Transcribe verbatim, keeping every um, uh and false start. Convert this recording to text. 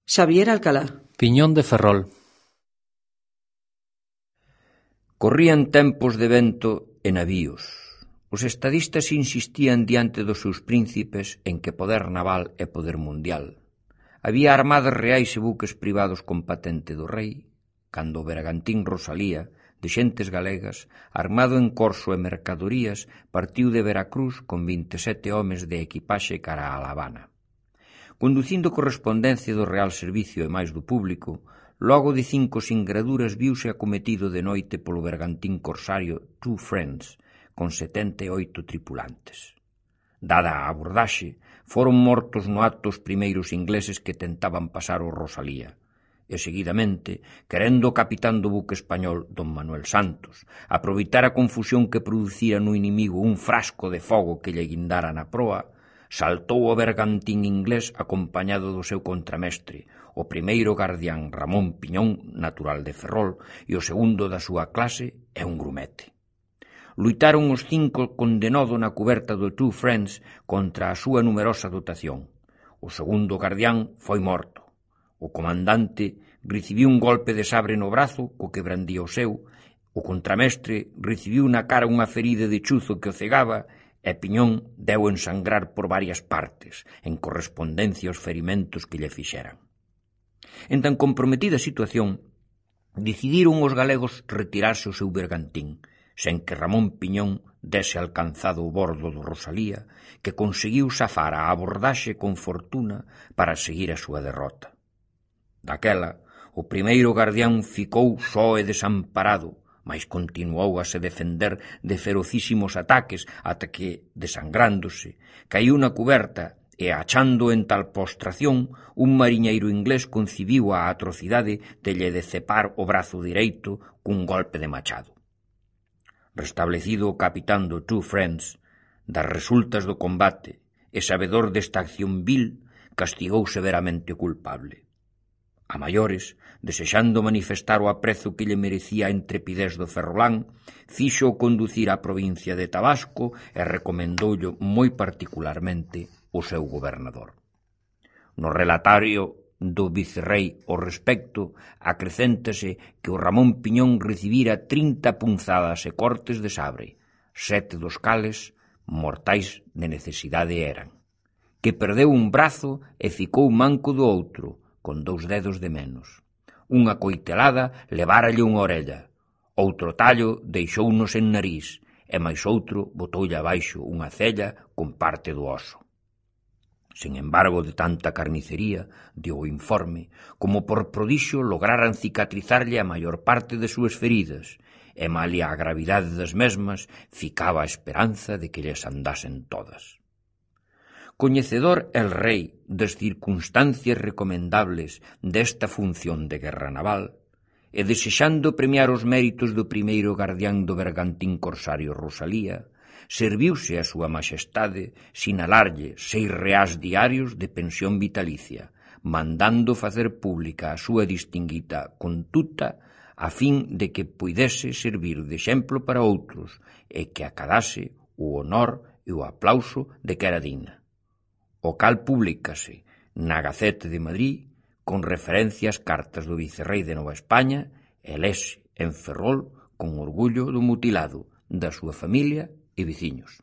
Xavier Alcalá. Piñón de Ferrol. Corrían tempos de vento e navíos. Os estadistas insistían diante dos seus príncipes en que poder naval é poder mundial. Había armadas reais e buques privados con patente do rei, cando o bergantín Rosalía, de xentes galegas, armado en corso e mercadorías, partiu de Veracruz con vinte e sete homes de equipaxe cara a La Habana. Conducindo correspondencia do Real Servicio e máis do público, logo de cinco singraduras viuse acometido de noite polo bergantín corsario Two Friends, con setenta e oito tripulantes. Dada a abordaxe, foron mortos no acto os primeiros ingleses que tentaban pasar o Rosalía, e seguidamente, querendo o capitán do buque español, don Manuel Santos, aproveitar a confusión que producira no inimigo un frasco de fogo que lle guindara na proa, saltou o bergantín inglés acompañado do seu contramestre, o primeiro gardián Ramón Piñón, natural de Ferrol, e o segundo da súa clase é un grumete. Luitaron os cinco con denodo na cuberta do Two Friends contra a súa numerosa dotación. O segundo gardián foi morto. O comandante recibiu un golpe de sabre no brazo, co que brandía o seu, o contramestre recibiu na cara unha ferida de chuzo que o cegaba, e Piñón deu ensangrar por varias partes, en correspondencia aos ferimentos que lle fixeran. En tan comprometida situación, decidiron os galegos retirarse o seu bergantín, sen que Ramón Piñón dese alcanzado o bordo do Rosalía, que conseguiu safar a abordaxe con fortuna para seguir a súa derrota. Daquela, o primeiro gardián ficou só e desamparado, mais continuou a se defender de ferocísimos ataques ata que, desangrándose, caíu na cuberta e, achando en tal postración, un mariñeiro inglés concibiu a atrocidade de lle decepar o brazo direito cun golpe de machado. Restablecido o capitán do Two Friends, das resultas do combate e sabedor desta acción vil, castigou severamente o culpable. A maiores, desexando manifestar o aprezo que lle merecía a intrepidez do ferrolán, fixo conducir á provincia de Tabasco e recomendoulle moi particularmente o seu gobernador. No relatario do vicerrei ao respecto, acrecéntase que o Ramón Piñón recibira trinta punzadas e cortes de sabre, sete dos cales mortais de necesidade eran, que perdeu un brazo e ficou manco do outro, con dous dedos de menos. Unha coitelada leváralle unha orella, outro tallo deixounos en nariz, e máis outro botoulle abaixo unha cella con parte do oso. Sen embargo de tanta carnicería, dio o informe, como por prodixio lograran cicatrizarlle a maior parte de súas feridas, e malia a gravidade das mesmas, ficaba a esperanza de que lles andasen todas. Coñecedor el rei das circunstancias recomendables desta función de guerra naval, e desexando premiar os méritos do primeiro gardián do bergantín corsario Rosalía, serviuse a súa maxestade sinalarlle seis reás diarios de pensión vitalicia, mandando facer pública a súa distinguida conduta a fin de que puidese servir de exemplo para outros e que acadase o honor e o aplauso de que era digna. O cal publícase na Gaceta de Madrid con referencia ás cartas do vicerrei de Nova España e lese en Ferrol con orgullo do mutilado, da súa familia e veciños.